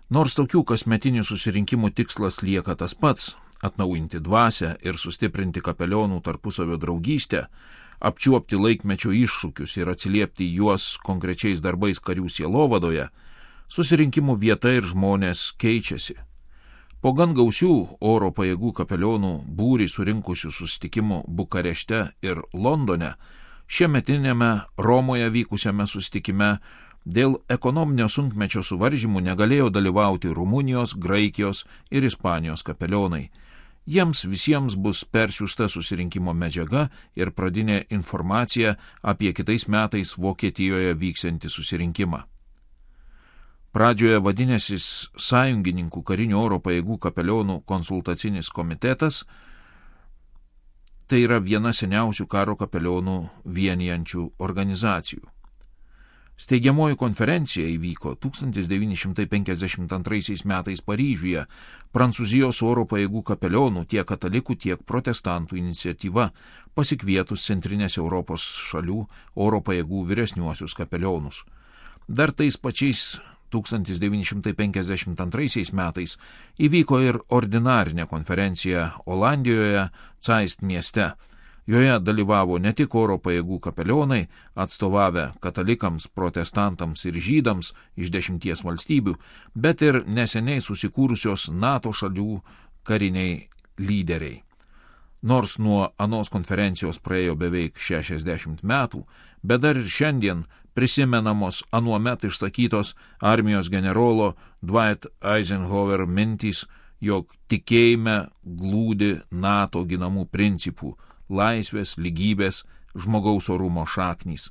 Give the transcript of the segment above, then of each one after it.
Nors tokių kasmetinių susirinkimų tikslas lieka tas pats – atnaujinti dvasią ir sustiprinti kapelionų tarpusavio draugystę, apčiuopti laikmečio iššūkius ir atsiliepti juos konkrečiais darbais karių sielovadoje, susirinkimų vieta ir žmonės keičiasi. Po gan gausių oro pajėgų kapelionų būrį surinkusių susitikimų Bukarešte ir Londone, šiemetinėme Romoje vykusiame susitikime dėl ekonominio sunkmečio suvaržymų negalėjo dalyvauti Rumunijos, Graikijos ir Ispanijos kapelionai. Jiems visiems bus persiųsta susirinkimo medžiaga ir pradinė informacija apie kitais metais Vokietijoje vyksiantį susirinkimą. Pradžioje vadinęsis Sąjungininkų karinių oro pajėgų kapelionų konsultacinis komitetas, tai yra viena seniausių karo kapelionų vienijančių organizacijų. Steigiamoji konferencija įvyko 1952 metais Paryžiuje, Prancūzijos oro pajėgų kapelionų tiek katalikų, tiek protestantų iniciatyva, pasikvietus Centrinės Europos šalių oro pajėgų vyresniuosius kapelionus. Dar tais pačiais 1952 metais įvyko ir ordinarinė konferencija Olandijoje, Zeist mieste. Joje dalyvavo ne tik oro pajėgų kapelionai, atstovavę katalikams, protestantams ir žydams iš 10 valstybių, bet ir neseniai susikūrusios NATO šalių kariniai lyderiai. Nors nuo anos konferencijos praėjo beveik 60 metų, bet dar ir šiandien prisimenamos anuomet išsakytos armijos generolo Dwight Eisenhower mintys, jog tikėjime glūdi NATO ginamų principų – laisvės, lygybės, žmogaus orumo šaknys.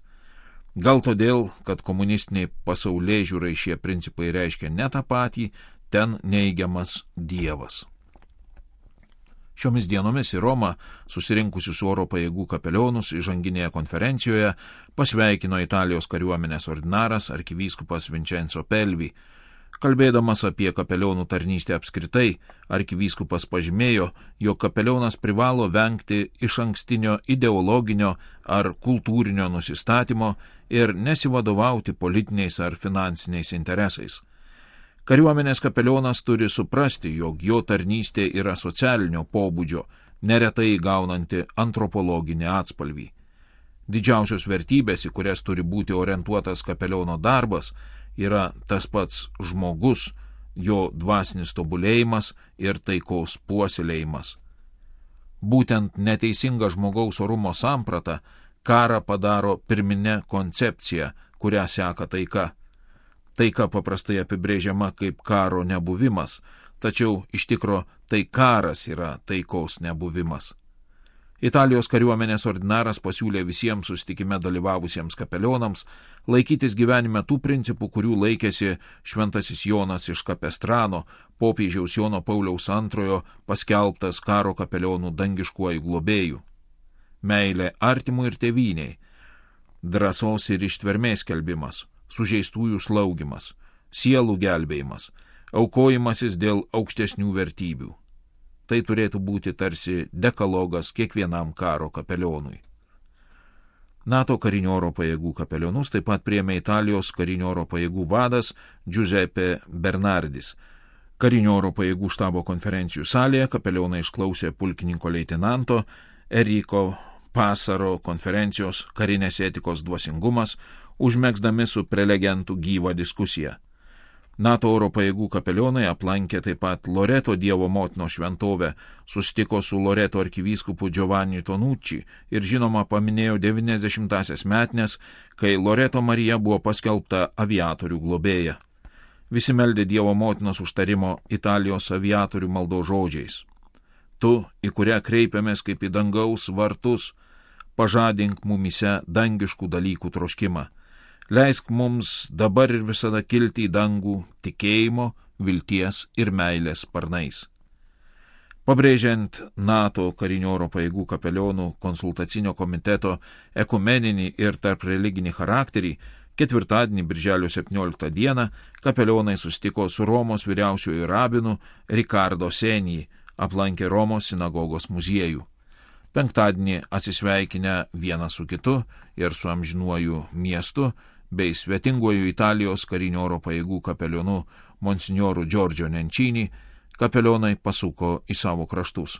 Gal todėl, kad komunistiniai pasaulėžiūrai šie principai reiškia ne tą patį, ten neigiamas Dievas. Šiomis dienomis į Romą susirinkusius oro pajėgų kapelionus įžanginėje konferencijoje pasveikino Italijos kariuomenės ordinaras arkivyskupas Vincenzo Pelvi. Kalbėdamas apie kapelionų tarnystę apskritai, arkivyskupas pažymėjo, jog kapelionas privalo vengti išankstinio ideologinio ar kultūrinio nusistatymo ir nesivadovauti politiniais ar finansiniais interesais. Kariuomenės kapelionas turi suprasti, jog jo tarnystė yra socialinio pobūdžio, neretai gaunanti antropologinį atspalvį. Didžiausios vertybės, į kurias turi būti orientuotas kapeliono darbas, yra tas pats žmogus, jo dvasinis tobulėjimas ir taikos puoselėjimas. Būtent neteisinga žmogaus orumo samprata karą padaro pirminę koncepciją, kurią seka taika. Taika paprastai apibrėžiama kaip karo nebuvimas, tačiau iš tikro tai karas yra taikos nebuvimas. Italijos kariuomenės ordinaras pasiūlė visiems susitikime dalyvavusiems kapelionams laikytis gyvenime tų principų, kurių laikėsi šventasis Jonas iš Kapestrano, popiežiaus Jono Pauliaus II paskelbtas karo kapelionų dangiškuoju globėju. Meilė artimui ir tėvyniai, drąsos ir ištvermės skelbimas, sužeistųjų slaugimas, sielų gelbėjimas, aukojimasis dėl aukštesnių vertybių. Tai turėtų būti tarsi dekalogas kiekvienam karo kapelionui. NATO karinio oro pajėgų kapelionus taip pat priėmė Italijos karinio oro pajėgų vadas Giuseppe Bernardis. Karinio oro pajėgų štabo konferencijų salėje kapelionai išklausė pulkininko leitenanto Eriko Pasaro konferencijos karinės etikos dvasingumas, užmegzdami su prelegentų gyvą diskusiją. NATO oro pajėgų kapelionai aplankė taip pat Loreto Dievo motinos šventovę, susitiko su Loreto arkivyskupu Giovanni Tonucci ir žinoma paminėjo 90-asias metines, kai Loreto Marija buvo paskelbta aviatorių globėja. Visi meldė Dievo motinos užtarimo Italijos aviatorių maldos žodžiais. Tu, į kurią kreipiamės kaip į dangaus vartus, pažadink mumyse dangiškų dalykų troškimą. Leisk mums dabar ir visada kilti į dangų tikėjimo, vilties ir meilės sparnais. Pabrėžiant NATO karinio oro pajėgų kapelionų konsultacinio komiteto ekumeninį ir tarp religinį charakterį, ketvirtadienį, birželio 17 dieną, kapelionai susitiko su Romos vyriausiuoju rabinu Ricardo Senji, aplankė Romos sinagogos muziejų. Penktadienį atsisveikinę vienas su kitu ir su amžinuoju miestu, bei svetinguoju Italijos karinio oro pajėgų kapelionu monsinjorų Džordžio Nenčinį, kapelionai pasuko į savo kraštus.